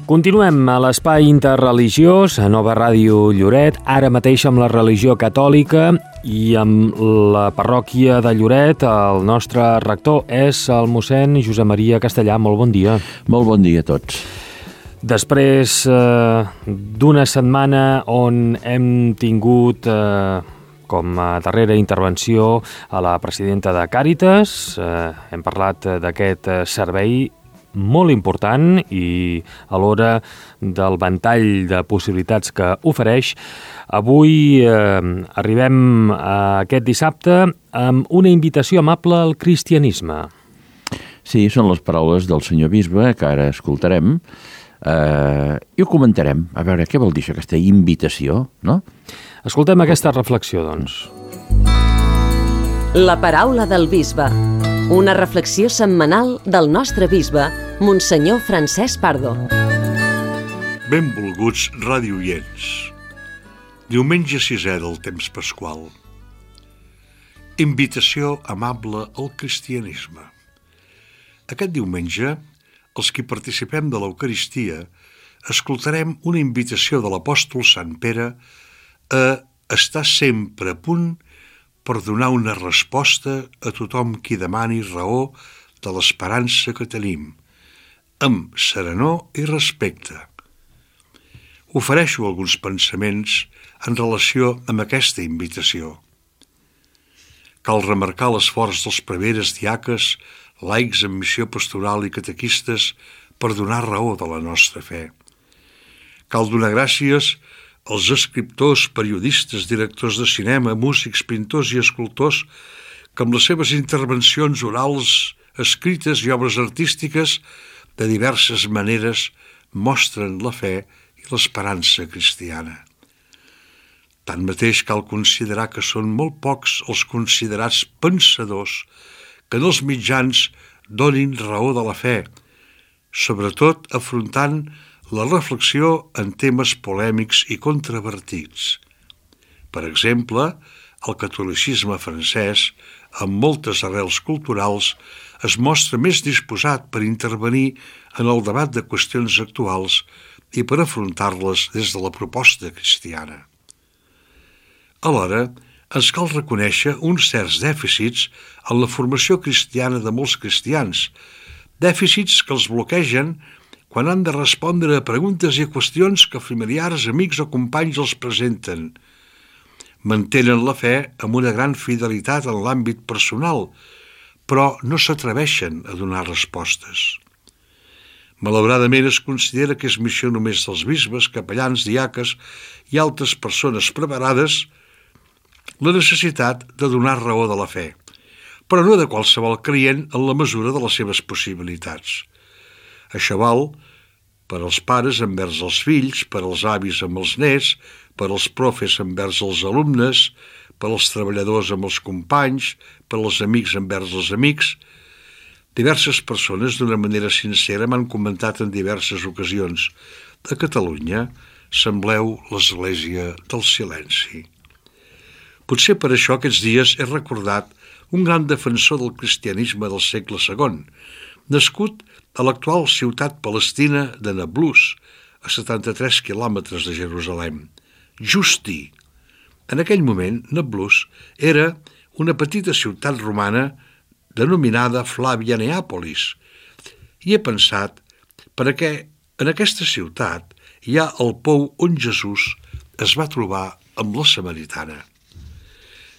Continuem a l'espai interreligiós, a Nova Ràdio Lloret, ara mateix amb la religió catòlica i amb la parròquia de Lloret. El nostre rector és el mossèn Josep Maria Castellà. Molt bon dia. Molt bon dia a tots. Després d'una setmana on hem tingut com a darrera intervenció a la presidenta de Càritas, hem parlat d'aquest servei molt important i alhora del ventall de possibilitats que ofereix. Avui arribem a aquest dissabte amb una invitació amable al cristianisme. Sí, són les paraules del senyor bisbe que ara escoltarem i ho comentarem. A veure, què vol dir això, aquesta invitació, no? Escoltem aquesta reflexió, doncs. La paraula del bisbe. Una reflexió setmanal del nostre bisbe, Monsenyor Francesc Pardo. Benvolguts radioients. Diumenge 6è del temps pasqual. Invitació amable al cristianisme. Aquest diumenge, els qui participem de l'Eucaristia, escoltarem una invitació de l'apòstol Sant Pere a estar sempre a punt per donar una resposta a tothom qui demani raó de l'esperança que tenim, amb serenor i respecte. Ofereixo alguns pensaments en relació amb aquesta invitació. Cal remarcar l'esforç dels preveres, diaques, laics en missió pastoral i catequistes per donar raó de la nostra fe. Cal donar gràcies als escriptors, periodistes, directors de cinema, músics, pintors i escultors que amb les seves intervencions orals, escrites i obres artístiques de diverses maneres mostren la fe i l'esperança cristiana. Tanmateix cal considerar que són molt pocs els considerats pensadors que en els mitjans donin raó de la fe, sobretot afrontant la reflexió en temes polèmics i controvertits. Per exemple, el catolicisme francès, amb moltes arrels culturals, es mostra més disposat per intervenir en el debat de qüestions actuals i per afrontar-les des de la proposta cristiana. Alhora, ens cal reconèixer uns certs dèficits en la formació cristiana de molts cristians, dèficits que els bloquegen quan han de respondre a preguntes i a qüestions que familiars, amics o companys els presenten. Mantenen la fe amb una gran fidelitat en l'àmbit personal, però no s'atreveixen a donar respostes. Malauradament es considera que és missió només dels bisbes, capellans, diaques i altres persones preparades la necessitat de donar raó de la fe, però no de qualsevol creient en la mesura de les seves possibilitats. Això val per als pares envers els fills, per als avis amb els nets, per als profes envers els alumnes, per als treballadors amb els companys, per als amics envers els amics. Diverses persones, d'una manera sincera, m'han comentat en diverses ocasions: a Catalunya sembleu l'església del silenci. Potser per això aquests dies he recordat un gran defensor del cristianisme del segle II, nascut a l'actual ciutat palestina de Nablus, a 73 quilòmetres de Jerusalem, Justí. En aquell moment, Nablus era una petita ciutat romana denominada Flavia Neàpolis, i he pensat per què en aquesta ciutat hi ha el pou on Jesús es va trobar amb la samaritana.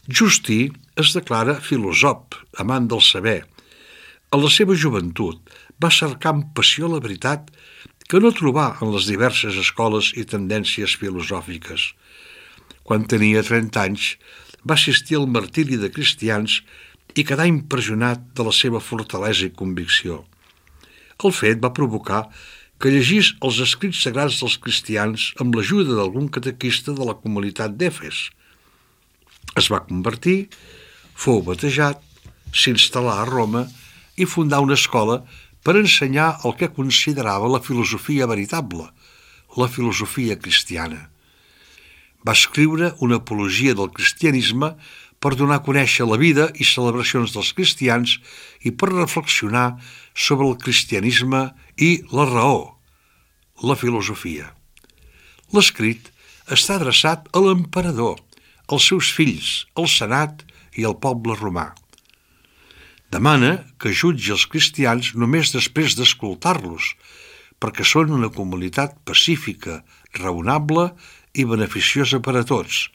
Justí es declara filòsof, amant del saber. En la seva joventut va cercar amb passió la veritat que no trobà en les diverses escoles i tendències filosòfiques. Quan tenia 30 anys, va assistir al martiri de cristians i quedà impressionat de la seva fortalesa i convicció. El fet va provocar que llegís els escrits sagrats dels cristians amb l'ajuda d'algun catequista de la comunitat d'Efes. Es va convertir, fou batejat, s'instal·là a Roma i fundà una escola per ensenyar el que considerava la filosofia veritable, la filosofia cristiana. Va escriure una apologia del cristianisme per donar a conèixer la vida i celebracions dels cristians i per reflexionar sobre el cristianisme i la raó, la filosofia. L'escrit està adreçat a l'emperador, als seus fills, al senat i al poble romà. Demana que jutgi els cristians només després d'escoltar-los, perquè són una comunitat pacífica, raonable i beneficiosa per a tots.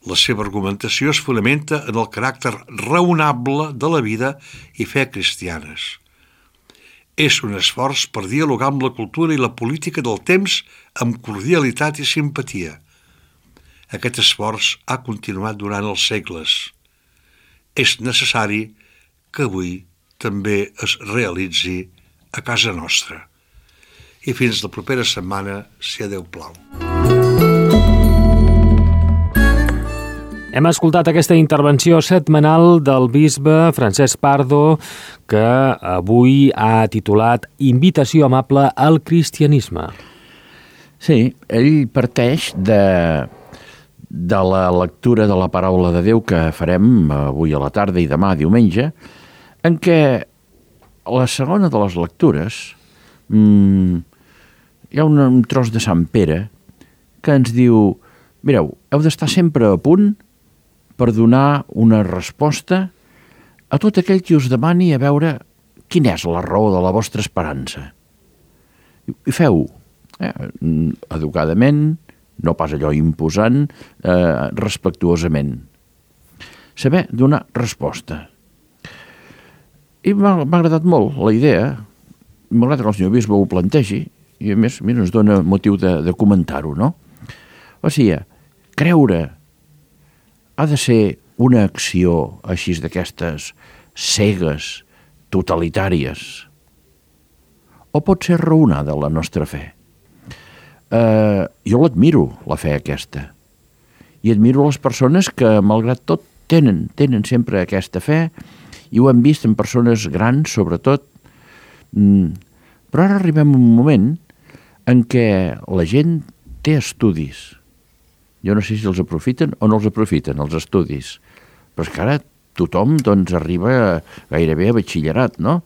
La seva argumentació es fonamenta en el caràcter raonable de la vida i fe cristianes. És un esforç per dialogar amb la cultura i la política del temps amb cordialitat i simpatia. Aquest esforç ha continuat durant els segles. És necessari que avui també es realitzi a casa nostra. I fins la propera setmana, si a Déu plau. Hem escoltat aquesta intervenció setmanal del bisbe Francesc Pardo, que avui ha titulat Invitació amable al cristianisme. Sí, ell parteix de la lectura de la paraula de Déu que farem avui a la tarda i demà diumenge, en què la segona de les lectures hi ha un tros de Sant Pere que ens diu: mireu, heu d'estar sempre a punt per donar una resposta a tot aquell qui us demani a veure quina és la raó de la vostra esperança. I feu-ho, educadament, no pas allò imposant, respectuosament. Saber donar resposta. I m'ha agradat molt la idea, malgrat que el senyor bisbe ho plantegi, i a més ens dona motiu de comentar-ho, no? O sigui, creure ha de ser una acció així d'aquestes cegues, totalitàries, o pot ser raonada la nostra fe? Jo l'admiro, la fe aquesta, i admiro les persones que, malgrat tot, tenen sempre aquesta fe, i ho hem vist en persones grans, sobretot, però ara arribem a un moment en què la gent té estudis. Jo no sé si els aprofiten o no els aprofiten, els estudis. Però és que ara tothom arriba gairebé a batxillerat, no?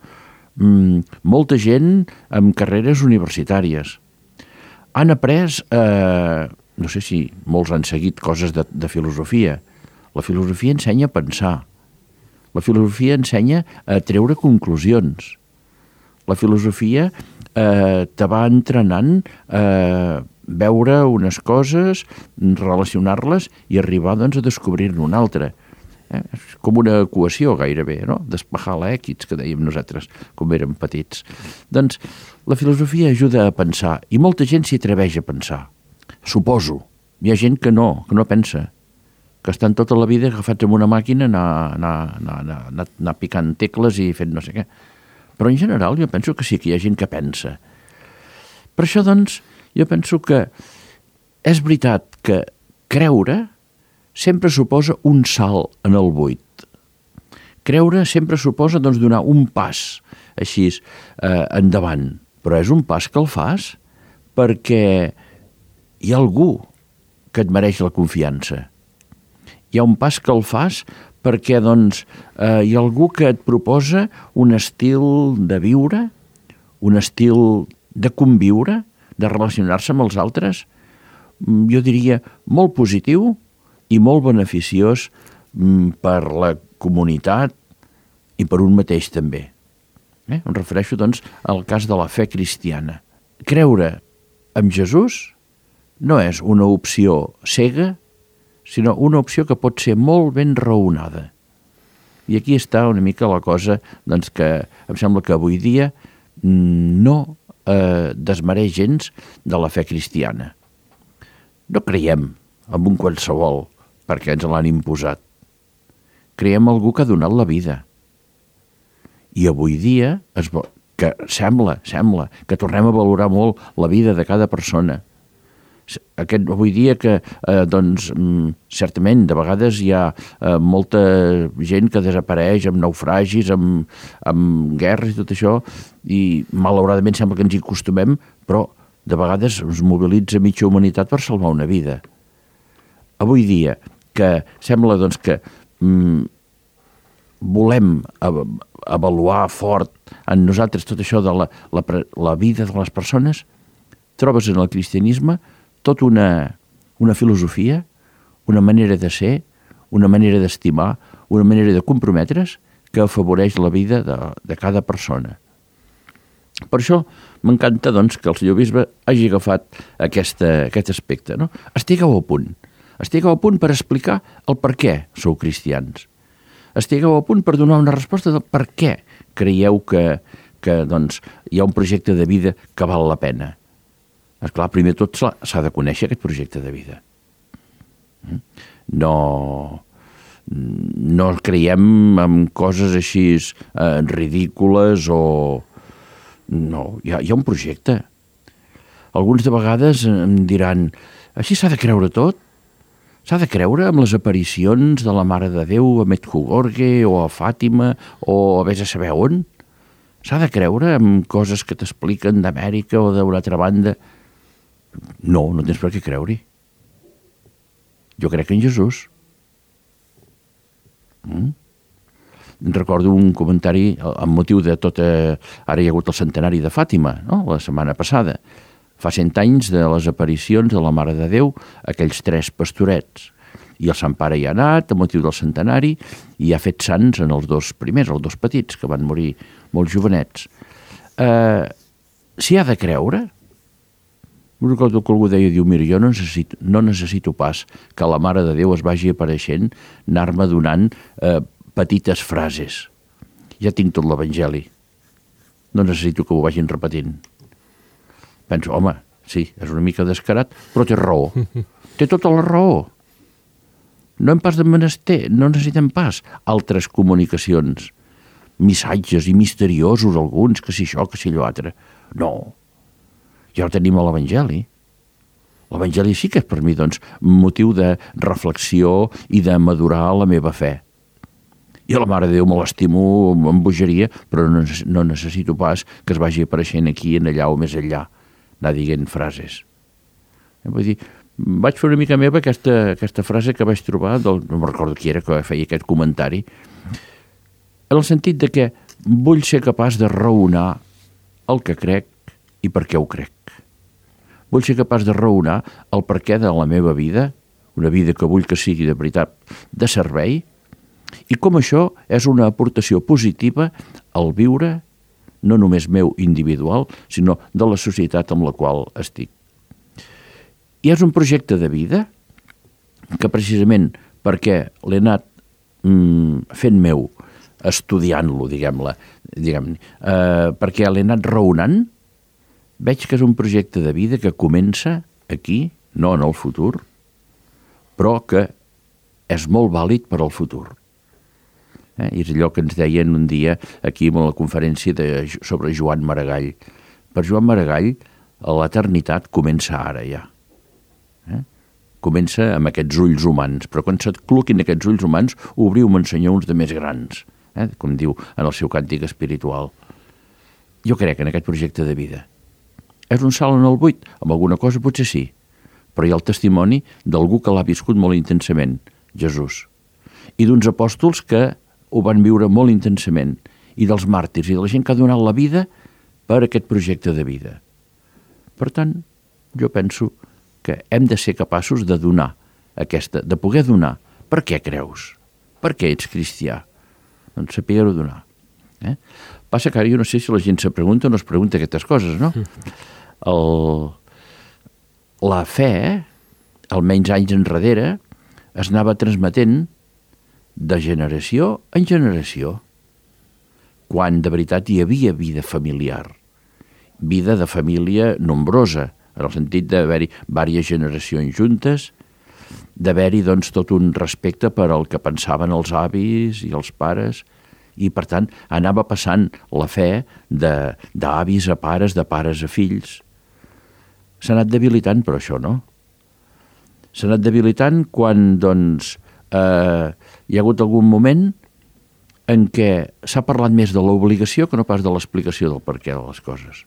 Molta gent amb carreres universitàries. Han après, no sé si molts han seguit coses de filosofia. La filosofia ensenya a pensar. La filosofia ensenya a treure conclusions. La filosofia te va entrenant a veure unes coses, relacionar-les i arribar a descobrir-ne una altra. És com una equació gairebé, no? Despejar l'èquits, que dèiem nosaltres quan érem petits. Doncs la filosofia ajuda a pensar i molta gent s'hi atreveix a pensar. Suposo. Hi ha gent que no pensa, que estan tota la vida agafats amb una màquina anar picant tecles i fent no sé què. Però en general jo penso que sí que hi ha gent que pensa. Per això, doncs, jo penso que és veritat que creure sempre suposa un salt en el buit. Creure sempre suposa donar un pas així endavant, però és un pas que el fas perquè hi ha algú que et mereix la confiança. Hi ha un pas que el fas perquè hi ha algú que et proposa un estil de viure, un estil de conviure, de relacionar-se amb els altres, jo diria molt positiu i molt beneficiós per la comunitat i per un mateix també. Em refereixo, al cas de la fe cristiana. Creure en Jesús no és una opció cega, sinó una opció que pot ser molt ben raonada. I aquí està una mica la cosa que em sembla que avui dia no desmereix gens de la fe cristiana. No creiem en un qualsevol perquè ens l'han imposat. Creiem en algú que ha donat la vida. I avui dia que sembla que tornem a valorar molt la vida de cada persona. Avui dia que, certament, de vegades hi ha molta gent que desapareix amb naufragis, amb guerres i tot això, i malauradament sembla que ens hi acostumem, però de vegades es mobilitza mitja humanitat per salvar una vida. Avui dia que sembla que volem avaluar fort en nosaltres tot això de la vida de les persones, trobes en el cristianisme tota una filosofia, una manera de ser, una manera d'estimar, una manera de comprometre's que afavoreix la vida de cada persona. Per això m'encanta doncs, que el senyor bisbe hagi agafat aquest aspecte. No? Estigueu a punt per explicar el per què sou cristians. Estigueu a punt per donar una resposta del per què creieu que doncs, hi ha un projecte de vida que val la pena. Esclar, primer tot s'ha de conèixer aquest projecte de vida. No creiem en coses així ridícules o... No, hi ha un projecte. Alguns de vegades em diran, així s'ha de creure tot? S'ha de creure amb les aparicions de la Mare de Déu a Medjugorje o a Fàtima o a vés a saber on? S'ha de creure amb coses que t'expliquen d'Amèrica o d'una altra banda? No tens per què creure-hi. Jo crec en Jesús. Recordo un comentari amb motiu de tot... Ara hi ha hagut el centenari de Fàtima, no? La setmana passada. Fa 100 anys de les aparicions de la Mare de Déu, aquells 3 pastorets. I el Sant Pare hi ha anat, a motiu del centenari, i ha fet sants en els 2 primers, els 2 petits, que van morir molt jovenets. S'hi ha de creure? Recordo que algú deia, diu, mira, jo no necessito pas que la Mare de Déu es vagi apareixent, anar-me donant petites frases. Ja tinc tot l'Evangeli. No necessito que ho vagin repetint. Penso, home, sí, és una mica descarat, però té raó. Té tota la raó. No hem pas de menester, no necessitem pas altres comunicacions, missatges i misteriosos alguns, que si això, que si allò altre. No. Ja ho tenim a l'Evangeli. L'Evangeli sí que és per mi, doncs, motiu de reflexió i de madurar la meva fe. I a la Mare de Déu me l'estimo amb bogeria, però no necessito pas que es vagi apareixent aquí, en allà o més enllà, anar dient frases. Vull dir, vaig fer una mica meva aquesta frase que vaig trobar, no me'n recordo qui era que feia aquest comentari, en el sentit de que vull ser capaç de raonar el que crec i per què ho crec. Vull ser capaç de raonar el per què de la meva vida, una vida que vull que sigui de veritat de servei, i com això és una aportació positiva al viure, no només meu individual, sinó de la societat amb la qual estic. I és un projecte de vida que precisament perquè l'he anat fent meu, estudiant-lo, diguem-ne, perquè l'he anat raonant, veig que és un projecte de vida que comença aquí, no en el futur, però que és molt vàlid per al futur. I és allò que ens deien un dia aquí a la conferència sobre Joan Maragall. Per Joan Maragall, l'eternitat comença ara ja. Comença amb aquests ulls humans, però quan se't cloquin aquests ulls humans, obriu-me, Senyor, uns de més grans, com diu en el seu càntic espiritual. Jo crec en aquest projecte de vida. És un salt en el buit? Amb alguna cosa potser sí, però hi ha el testimoni d'algú que l'ha viscut molt intensament, Jesús, i d'uns apòstols que ho van viure molt intensament, i dels màrtirs, i de la gent que ha donat la vida per aquest projecte de vida. Per tant, jo penso que hem de ser capaços de donar de poder donar. Per què creus? Per què ets cristià? Doncs saber-ho donar. Passa que ara jo no sé si la gent se pregunta o no es pregunta aquestes coses, no? La fe, almenys anys enrere, es anava transmetent de generació en generació, quan de veritat hi havia vida familiar, vida de família nombrosa, en el sentit d'haver-hi diverses generacions juntes, d'haver-hi doncs tot un respecte per al que pensaven els avis i els pares, i per tant anava passant la fe d'avis a pares, de pares a fills. S'ha anat debilitant per això, no? S'ha anat debilitant quan doncs hi ha hagut algun moment en què s'ha parlat més de l'obligació que no pas de l'explicació del perquè de les coses.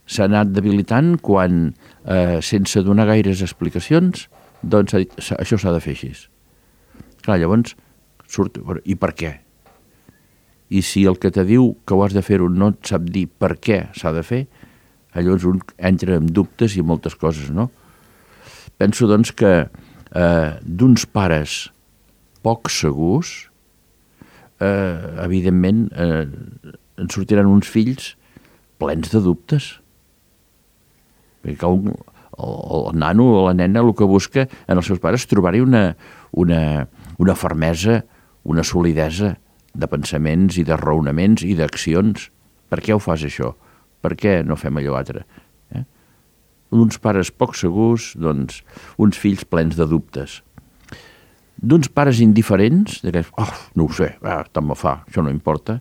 S'ha anat debilitant quan, sense donar gaires explicacions, doncs s'ha dit, això s'ha de fer així. Clar, llavors surt, i per què? I si el que te diu que ho has de fer-ho no et sap dir per què s'ha de fer, Llavors un entra en dubtes i moltes coses, no? Penso, doncs, que d'uns pares poc segurs, evidentment, en sortiran uns fills plens de dubtes. Perquè el nano o la nena el que busca en els seus pares és trobar-hi una fermesa, una solidesa de pensaments i de raonaments i d'accions. Per què ho fas, això? Per què no fem allò altre? D'uns pares poc segurs, doncs, uns fills plens de dubtes. D'uns pares indiferents, no ho sé, tant me fa, això no importa,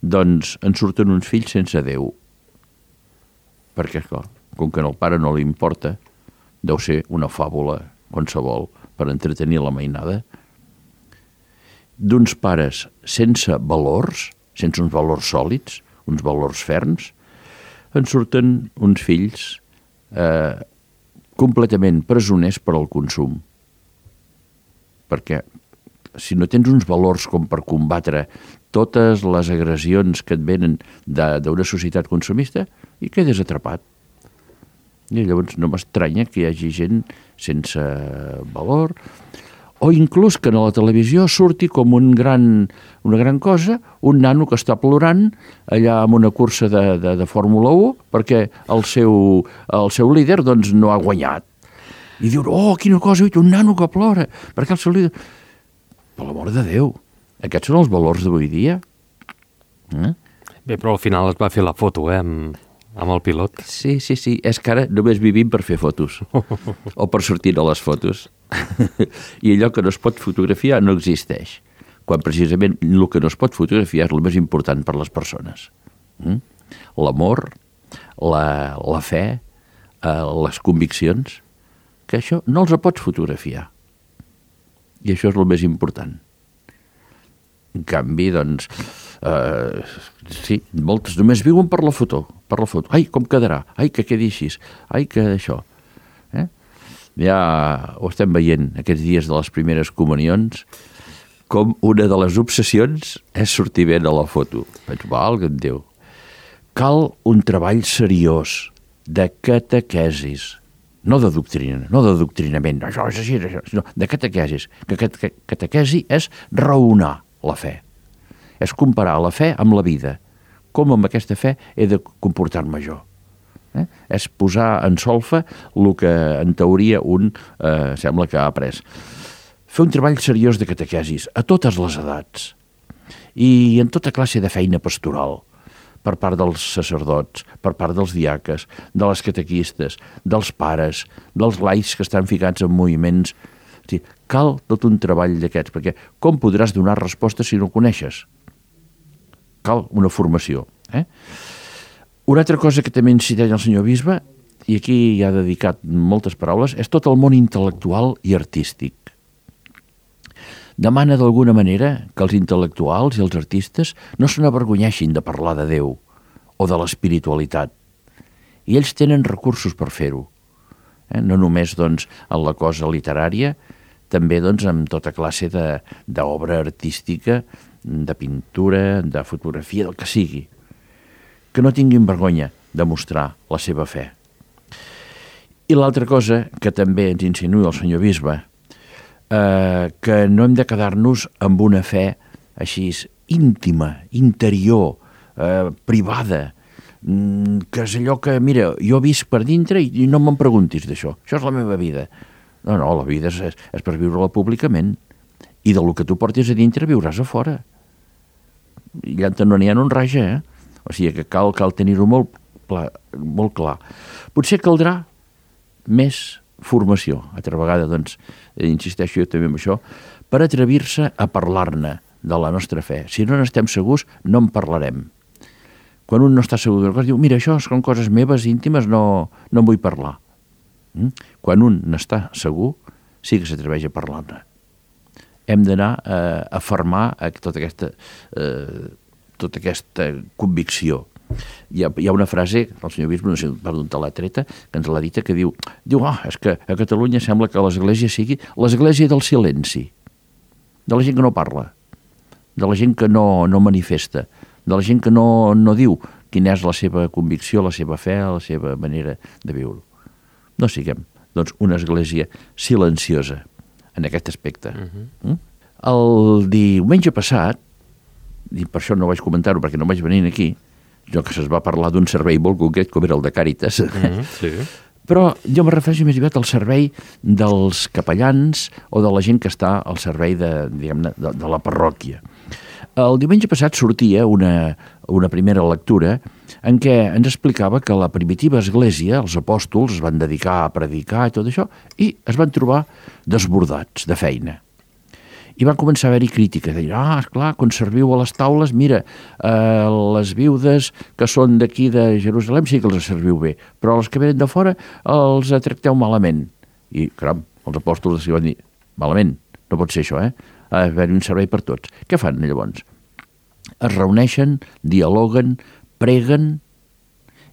doncs en surten uns fills sense Déu. Perquè, clar, com que al pare no li importa, deu ser una fàbula qualsevol per entretenir la mainada. D'uns pares sense valors, sense uns valors sòlids, uns valors ferms, en surten uns fills completament presoners per al consum. Perquè si no tens uns valors com per combatre totes les agressions que et venen d'una societat consumista, i quedes atrapat. I llavors no m'estranya que hi hagi gent sense valor, o inclús que a la televisió surti com una gran cosa, un nano que està plorant allà en una cursa de Fórmula 1 perquè el seu líder doncs, no ha guanyat. I diu, quina cosa, un nano que plora, perquè el seu líder... Per l'amor de Déu, aquests són els valors d'avui dia. Bé, però al final es va fer la foto, amb el pilot. Sí, és que ara només vivim per fer fotos, o per sortir a les fotos. I allò que no es pot fotografiar no existeix, quan precisament el que no es pot fotografiar és el més important per les persones. L'amor, la fe, les conviccions, que això no els pots fotografiar. I això és el més important. En canvi, doncs, sí, moltes només viuen per la foto. Ai, com quedarà? Ai, que quedi així. Ai, que això. Ja ho estem veient aquests dies de les primeres comunions, com una de les obsessions és sortir bé a la foto. Penso, valga'm Déu. Cal un treball seriós de catequesis, no de doctrinament, això és així, sinó de catequesis. Catequesi és raonar la fe, és comparar la fe amb la vida, com amb aquesta fe he de comportar-me jo. És posar en solfa el que en teoria un sembla que ha après. Fer un treball seriós de catequesis a totes les edats i en tota classe de feina pastoral, per part dels sacerdots, per part dels diaques, de les catequistes, dels pares, dels laics que estan ficats en moviments. Sí, cal tot un treball d'aquests, perquè com podràs donar resposta si no coneixes? Cal una formació. Una altra cosa que també inciteix el senyor bisbe, i aquí hi ha dedicat moltes paraules, és tot el món intel·lectual i artístic. Demana d'alguna manera que els intel·lectuals i els artistes no se n'avergonyeixin de parlar de Déu o de l'espiritualitat. I ells tenen recursos per fer-ho. No només doncs, en la cosa literària, també doncs, en tota classe d'obra artística, de pintura, de fotografia, del que sigui. Que no tinguin vergonya de mostrar la seva fe. I l'altra cosa que també ens insinua el senyor bisbe, que no hem de quedar-nos amb una fe així íntima, interior, privada, que és allò que, mira, jo visc per dintre i no me'n preguntis d'això. Això és la meva vida. No, la vida és per viure-la públicament. I del que tu portis a dintre viuràs a fora. I allà no n'hi ha un raja, O sigui que cal tenir-ho molt clar. Potser caldrà més formació. Altra vegada, doncs, insisteixo jo també en això, per atrevir-se a parlar-ne de la nostra fe. Si no n'estem segurs, no en parlarem. Quan un no està segur d'una cosa, diu, mira, això són coses meves, íntimes, no en vull parlar. Quan un n'està segur, sí que s'atreveix a parlar-ne. Hem d'anar a afermar tota aquesta convicció. Hi ha una frase, el senyor bisbe, no sé per d'on te l'ha treta, que ens l'ha dita, que diu, és que a Catalunya sembla que l'església sigui l'església del silenci, de la gent que no parla, de la gent que no manifesta, de la gent que no diu, quina és la seva convicció, la seva fe, la seva manera de viure. No siguem, doncs, una església silenciosa en aquest aspecte. El diumenge passat, i per això no vaig comentar-ho perquè no vaig venir aquí, jo que se'ns va parlar d'un servei molt concret com era el de Càritas, Sí. però jo me refereixo més aviat al servei dels capellans o de la gent que està al servei de la parròquia. El diumenge passat sortia una primera lectura en què ens explicava que la primitiva església, els apòstols, es van dedicar a predicar i tot això, i es van trobar desbordats de feina. I van començar a haver-hi crítiques, de dir, esclar, quan serviu a les taules, mira, les viudes que són d'aquí de Jerusalem sí que els serviu bé, però els que venen de fora els tracteu malament. I, caram, els apòstols van dir, malament, no pot ser això, ha d'haver-hi un servei per tots. Què fan llavors? Es reuneixen, dialoguen, preguen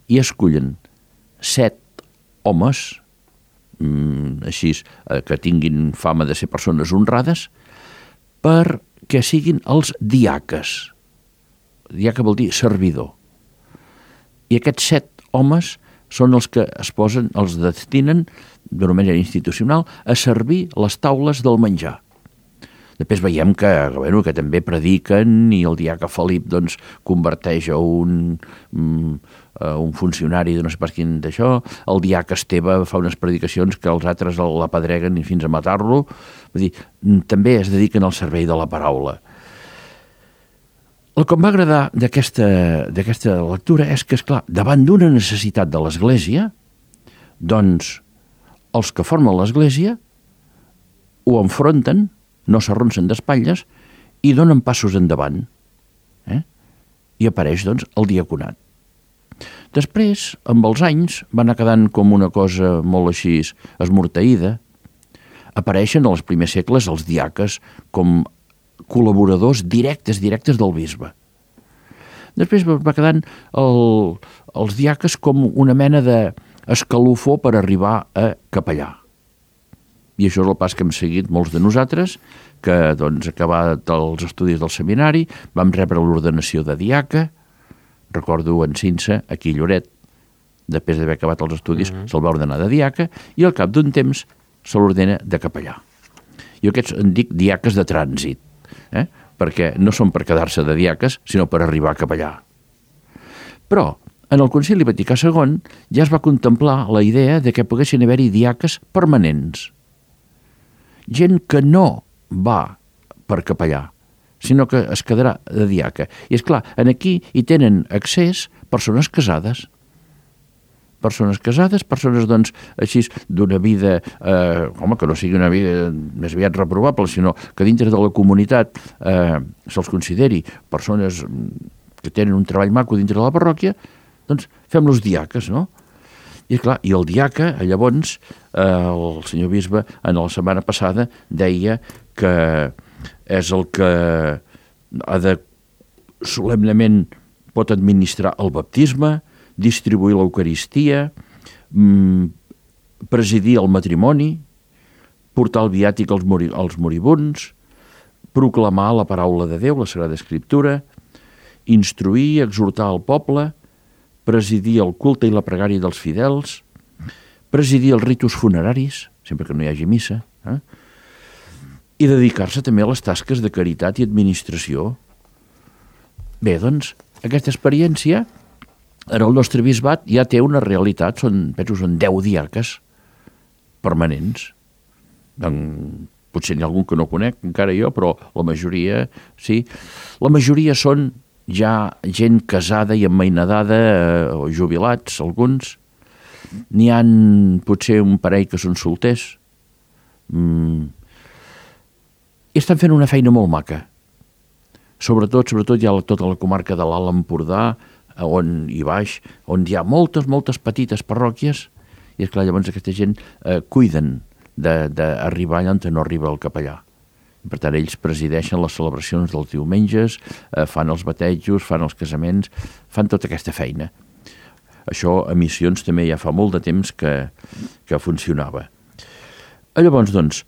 i escullen 7 homes, així que tinguin fama de ser persones honrades, perquè siguin els diaques. Diaca vol dir servidor. I aquests 7 homes són els que es posen, els destinen, d'una manera institucional, a servir les taules del menjar. Després veiem que també prediquen i el diaca Felip doncs, converteix a un funcionari de no sé pas quin d'això, el diaca Esteve fa unes predicacions que els altres l'apedreguen fins a matar-lo. Vull dir, també es dediquen al servei de la paraula. El que em va agradar d'aquesta lectura és que, esclar, davant d'una necessitat de l'Església, doncs els que formen l'Església ho enfronten, no s'arronsen d'espatlles i donen passos endavant. I apareix, doncs, el diaconat. Després, amb els anys, va anar quedant com una cosa molt així esmorteïda. Apareixen als primers segles els diaques com col·laboradors directes del bisbe. Després va quedant els diaques com una mena d'escalofó per arribar a capellà. I això és el pas que hem seguit molts de nosaltres, que, doncs, acabat els estudis del seminari, vam rebre l'ordenació de diaca. Recordo en Cinsa, aquí a Lloret, després d'haver acabat els estudis, se'l va ordenar de diaca, i al cap d'un temps se l'ordena de capellà. Jo aquests en dic diaques de trànsit, perquè no són per quedar-se de diaques, sinó per arribar a capellà. Però, en el Concili Vaticà II ja es va contemplar la idea de que poguessin haver-hi diaques permanents. Gent que no va per capellà, sinó que es quedarà de diaca. I és clar, aquí hi tenen accés persones casades. Persones, doncs, així d'una vida, que no sigui una vida més aviat reprovable, sinó que dintre de la comunitat se'ls consideri persones que tenen un treball maco dintre de la parròquia, doncs fem-los diaques, no? I clar, i el diaca, llavors, el senyor bisbe, en la setmana passada, deia que és el que ha de solemnement pot administrar el baptisme, distribuir l'Eucaristia, presidir el matrimoni, portar el viàtic als moribunds, proclamar la paraula de Déu, la Sagrada Escriptura, instruir, exhortar el poble, presidir el culte i la pregària dels fidels, presidir els ritus funeraris, sempre que no hi hagi missa, i dedicar-se també a les tasques de caritat i administració. Bé, doncs, aquesta experiència en el nostre bisbat ja té una realitat, són 10 diaques permanents. Potser n'hi ha algun que no conec, encara jo, però la majoria sí. La majoria són ja gent casada i emmainadada o jubilats, alguns. N'hi ha potser un parell que són solters. I estan fent una feina molt maca. Sobretot hi ha tota la comarca de l'Alt Empordà, i baix, on hi ha moltes petites parròquies, i és clar, llavors aquesta gent cuiden d'arribar allà on no arriba el capellà. Per tant, ells presideixen les celebracions dels diumenges, fan els batejos, fan els casaments, fan tota aquesta feina. Això a missions també ja fa molt de temps que funcionava. Llavors, doncs,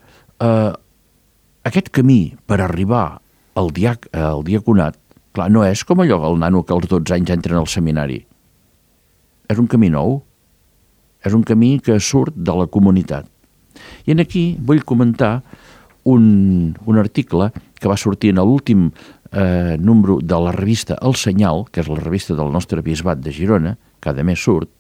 aquest camí per arribar al diaconat, Clar, no és com allò, el nano que als 12 anys entra al seminari. És un camí nou. És un camí que surt de la comunitat. I aquí vull comentar un article que va sortir en l'últim número de la revista El Senyal, que és la revista del nostre bisbat de Girona, cada mes surt,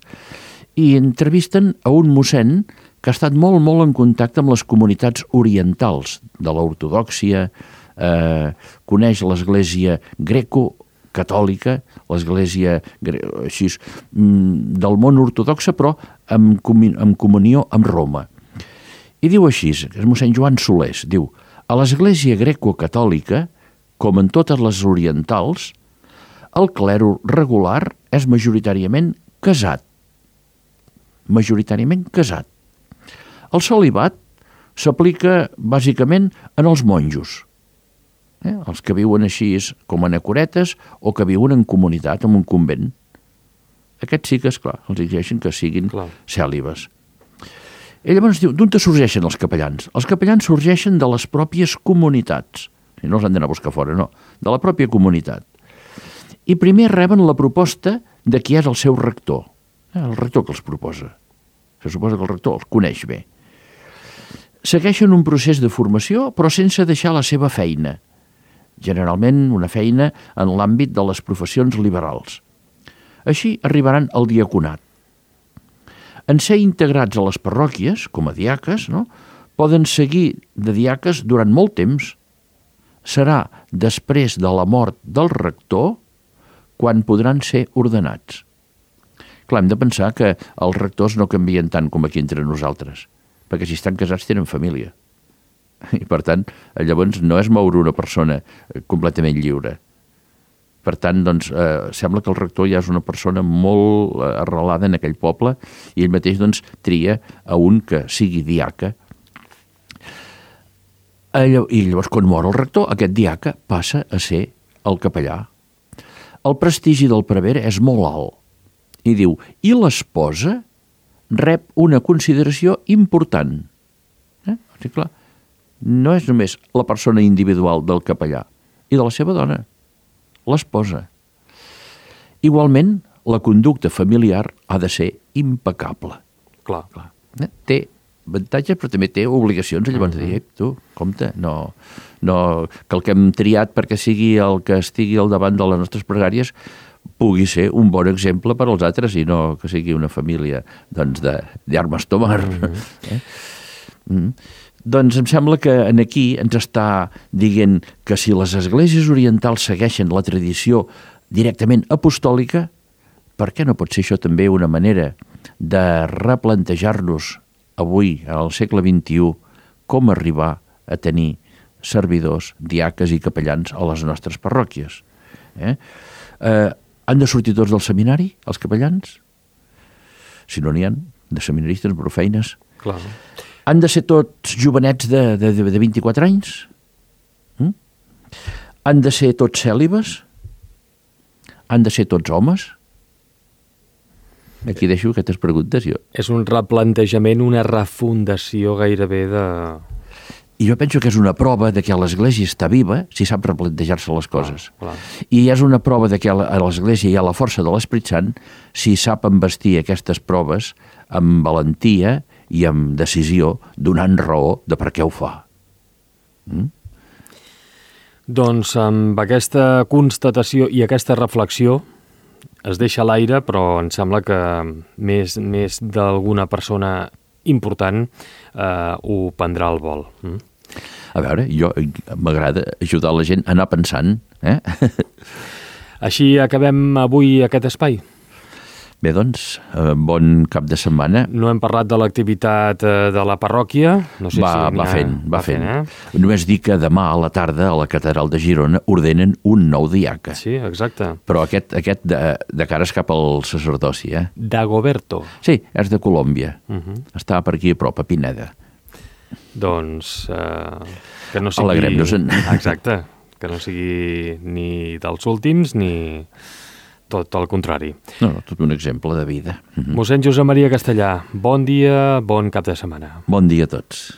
i entrevisten a un mossèn que ha estat molt, molt en contacte amb les comunitats orientals de l'ortodòxia, coneix l'església greco-catòlica, l'església així, del món ortodoxa, però en comunió amb Roma. I diu així, és mossèn Joan Solés, diu: a l'església greco-catòlica, com en totes les orientals, el clero regular és majoritàriament casat. Majoritàriament casat. El celibat s'aplica bàsicament en els monjos, els que viuen així com anacoretes o que viuen en comunitat, en un convent. Aquests sí que, esclar, els exigeixen que siguin cèlibes. I llavors diu, d'on sorgeixen els capellans? Els capellans sorgeixen de les pròpies comunitats. No els han d'anar a buscar fora, no. De la pròpia comunitat. I primer reben la proposta de qui és el seu rector. El rector que els proposa. Se suposa que el rector els coneix bé. Segueixen un procés de formació, però sense deixar la seva feina. Generalment una feina en l'àmbit de les professions liberals. Així arribaran al diaconat. En ser integrats a les parròquies, com a diaques, poden seguir de diaques durant molt temps. Serà després de la mort del rector quan podran ser ordenats. Clar, hem de pensar que els rectors no canvien tant com aquí entre nosaltres, perquè si estan casats tenen família. I per tant, llavors no és moure una persona completament lliure. Per tant, doncs, sembla que el rector ja és una persona molt arrelada en aquell poble i ell mateix doncs, tria a un que sigui diaca. I llavors, quan mor el rector, aquest diaca passa a ser el capellà. El prestigi del prevere és molt alt. I diu, i l'esposa rep una consideració important. Sí, clar, no és només la persona individual del capellà i de la seva dona, l'esposa. Igualment, la conducta familiar ha de ser impecable. Clar. Té avantatges, però també té obligacions. Llavors de dir, tu, compte, no, que el que hem triat perquè sigui el que estigui al davant de les nostres pregàries pugui ser un bon exemple per als altres i no que sigui una família doncs, d'armes tomar. Doncs em sembla que aquí ens està dient que si les esglésies orientals segueixen la tradició directament apostòlica, per què no pot ser això també una manera de replantejar-nos avui, al segle XXI, com arribar a tenir servidors, diaques i capellans a les nostres parròquies? Han de sortir tots del seminari, els capellans? Si no n'hi ha, de seminaristes, prou feines. Clar. Han de ser tots jovenets de 24 anys? Han de ser tots cèlibes? Han de ser tots homes? Aquí deixo aquestes preguntes jo. És un replantejament, una refundació gairebé de... I jo penso que és una prova de que l'Església està viva si sap replantejar-se les coses. Clar. I és una prova de que a l'Església hi ha la força de l'Esperit Sant si sap embastir aquestes proves amb valentia i amb decisió, donant raó de per què ho fa. Doncs amb aquesta constatació i aquesta reflexió es deixa l'aire, però em sembla que més d'alguna persona important ho prendrà al vol. A veure, jo m'agrada ajudar la gent a anar pensant. Així acabem avui aquest espai. Bé, doncs, bon cap de setmana. No hem parlat de l'activitat de la parròquia. No sé va fent. Només dir que demà a la tarda a la Catedral de Girona ordenen un nou diaca. Sí, exacte. Però aquest de cares cap al sacerdoci, Dagoberto. Sí, és de Colòmbia. Està per aquí a prop, a Pineda. Doncs que no sigui... Alegrem-nos-en. Exacte, que no sigui ni dels últims ni tot el contrari. No, tot un exemple de vida. Mossèn Josep Maria Castellà, bon dia, bon cap de setmana. Bon dia a tots.